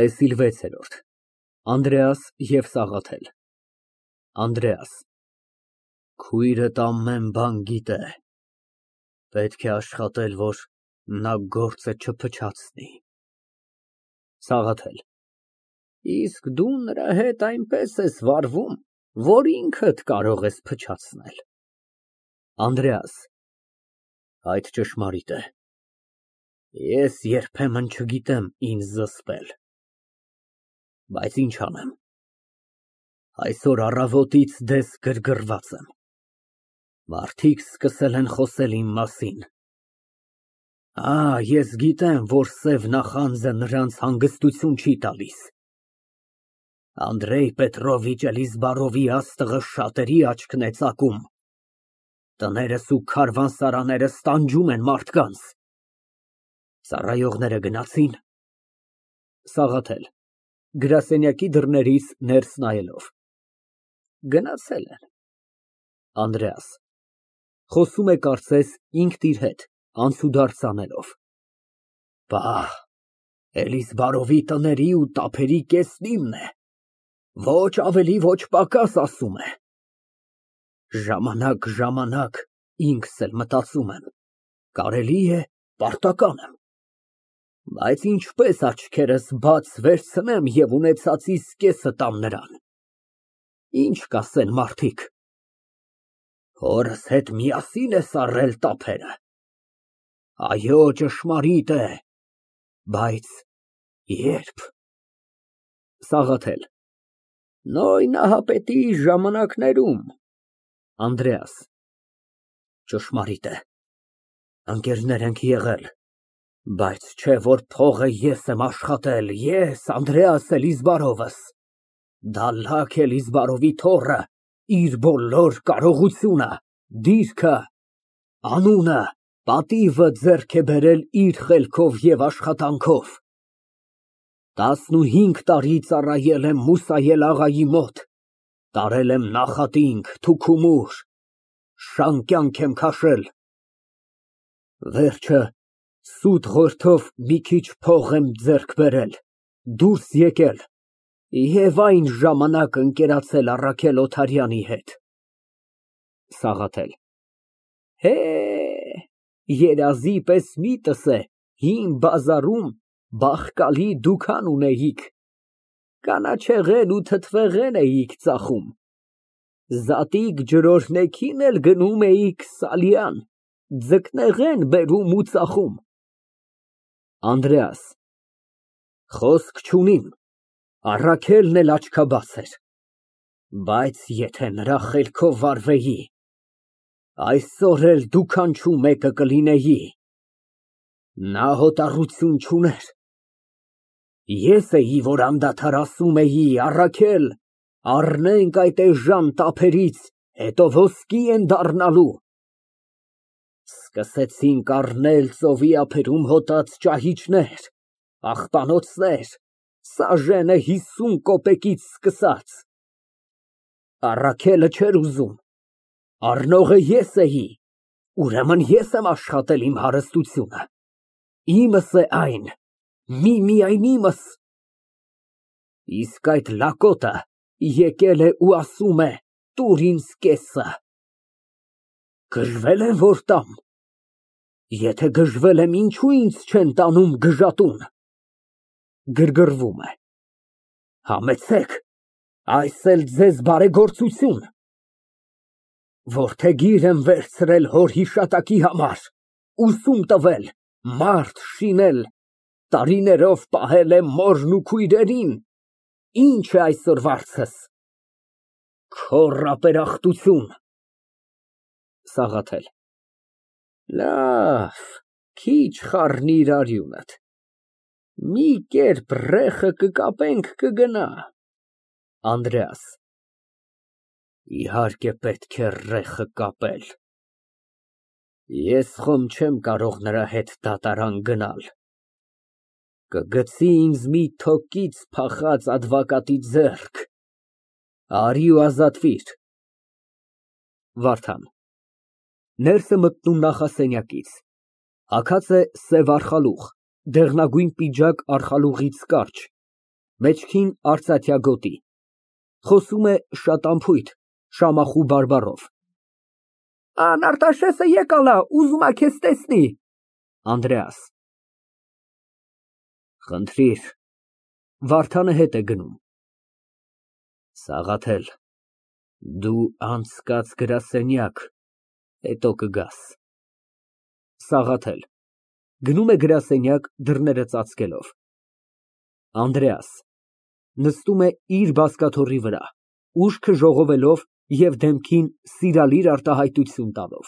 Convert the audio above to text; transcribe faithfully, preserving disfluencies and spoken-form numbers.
ՏԵՍԻԼ վեց ԱՆԴՐԵԱՍ և ՍԱՂԱԹԵԼ ԱՆԴՐԵԱՍ ֊ Քույրդ ամեն բան գիտե, պետք է աշխատել, որ նա գործը չփչացնի։ ՍԱՂԱԹԵԼ ֊ Իսկ դու նրա հետ այնպես ես վարվում, որ ինքդ կարող ես փչացնել։ ԱՆԴՐԵԱՍ ֊ Այդ ճշմարիտ է, ես երբեմն չգիտեմ ինձ զսպել, բայց ինչ անեմ, այսօր առավոտից դես գրգռված եմ, մարդիկ սկսել են խոսել իմ մասին։ Ա, ես գիտեմ, որ սև նախանձը նրանց հանգստություն չի տալիս։ Անդրեյ Պետրովիչ Էլիզբարովի աստղը շատերի աչքն է ծակում, տներս ու քարավաններս տանջում են մարդկանց։ Ծառայողները գնացի՞ն։ ՍԱՂԱԹԵԼ ֊ (Գրասենյակի դռներից ներս նայելով) Գնացել են։ ԱՆԴՐԵԱՍ ֊ (Խոսում է, կարծես, ինքն իր հետ, անցուդարձ անելով) Պահ, Էլիզբարովի տների ու տափերի կեսն իմն է, ոչ ավելի, ոչ պակաս, ասում է։ Ժամանակ֊ժամանակ ինքս էլ մտածում եմ, կարելի է, պարտական եմ, բայց ինչպես աչքերս բաց վերցնեմ և ունեցածիս կեսը տամ նրան, ինչ կասեն մարդիկ։ Հորս հետ միասի՞ն ես առել տափերը։ Այո, ճշմարիտ է, բայց ե՞րբ։ ՍԱՂԱԹԵԼ ֊ Նոյ Նահապետի ժամանակներում։ ԱՆԴՐԵԱՍ ֊ Ճշմարիտ է, ընկերներ ենք եղել, բայց չէ որ փողը ես եմ աշխատել, ես, Անդրեաս Էլիզբարովս, Դալլաք Էլիզբարովի թոռը, իր բոլոր կարողությունը, դիրքը, անունը, պատիվը ձեռք է բերել իր խելքով և աշխատանքով։ Տասնուհինգ տարի ծառայել եմ Մուսայել աղայի մոտ, տարել եմ նախատինք, թուքումուր, շան կյանք եմ քաշել, վերջը սուտ ղորթով մի քիչ փող եմ ձեռք բերել, դուրս եկել և այն ժամանակ ընկերացել Առաքել Օթարյանի հետ։ ՍԱՂԱԹԵԼ ֊ Հե, երազի պես միտս է, հին բազարում բախկալի դուքան ունեիք, կանաչեղեն ու թթվեղեն էիք ծախում, զատիկ ջրօրհնեքին էլ գնում էիք Սալյան, ձկնեղեն բերում ու ծախում։ ԱՆԴՐԵԱՍ ֊ Խոսք չունիմ, Առաքելն էլ աչքաբաց էր, բայց եթե նրա խելքով վարվեի, այսօր էլ դուքանչու մեկը կլինեի։ Նա հոտառություն չուներ, ես էի, որ անդադար ասում էի, Առաքել, առնենք այդ էժան տափերից, հետո ոսկի են դառնալու։ Սկսեցինք առնել ծովի ափերում հոտած ճահիճներ, աղբանոցներ, սաժենը հիսուն կոպեկից սկսած։ Առաքելը չէր ուզում, առնողը ես էի, ուրեմն ես եմ աշխատել իմ հարստությունը, իմս է այն, միմիայն իմս։ Իսկ այդ լակոտը եկել է ու ասում է, տուր ինձ կեսը։ Գժվել եմ, որ տամ, եթե գժվել եմ, ինչո՞ւ ինձ չեն տանում գժատուն։ (Գրգռվում է) Համեցեք, այս էլ ձեզ բարեգործություն։ Որդեգիր եմ վերցրել հոր հիշատակի համար, ուսում տվել, մարդ շինել, տարիներով պահել եմ մորն ու քույրերին, ինչ է այսօր վարձս։ Քոռ ապերախտություն։ ՍԱՂԱԹԵԼ ֊ Լավ, քիչ խառնիր արյունդ, մի կերպ ռեխը կկապենք, կգնա։ ԱՆԴՐԵԱՍ ֊ Իհարկե պետք է ռեխը կապել, ես խոմ չեմ կարող նրա հետ դատարան գնալ, կգցի ինձ մի թոկից փախած ադվակատի ձեռք, արի ու ազատվիր։ ՎԱՐԴԱՆ ֊ Ներս է մտնում նախասենյակից, հագած է սև արխալուղ, դեղնագույն պիջակ արխալուղից կարճ, Մեջքին արծաթյա գոտի, խոսում է շատ անփույթ, Շամախու բարբառով)։ Ան Արտաշեսը եկալ ա, ուզում ա քեզ տեսնի։ ԱՆԴՐԵԱՍ ֊ Խնդրիր։ (Վարդանը հետ է գնում)։ Սաղաթել, դու անցկաց գրասենյակ, հետո կգաս։ ՍԱՂԱԹԵԼ ֊ (Գնում է գրասենյակ, դռները ծածկելով)։ ԱՆԴՐԵԱՍ ֊ (Նստում է իր բազկաթոռի վրա, ուշքը ժողովելով և դեմքին սիրալիր արտահայտություն տալով)։